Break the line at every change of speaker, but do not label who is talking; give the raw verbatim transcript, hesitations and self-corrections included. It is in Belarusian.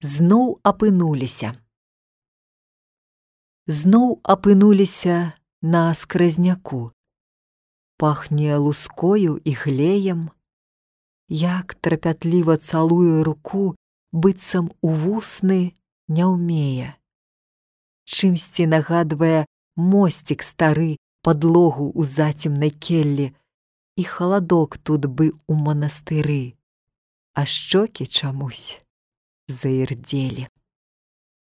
зноў апынуліся. Зноў апынуліся на скразняку. Пахне лускою і глеем. Як трапятліва цалуе руку, быццам у вусны не ўмее. Чымсьці нагадвае мосцік стары, падлогу ў зацемнай келлі, і халадок тут бы ў манастыры, а шчокі чамусь заірдзелі.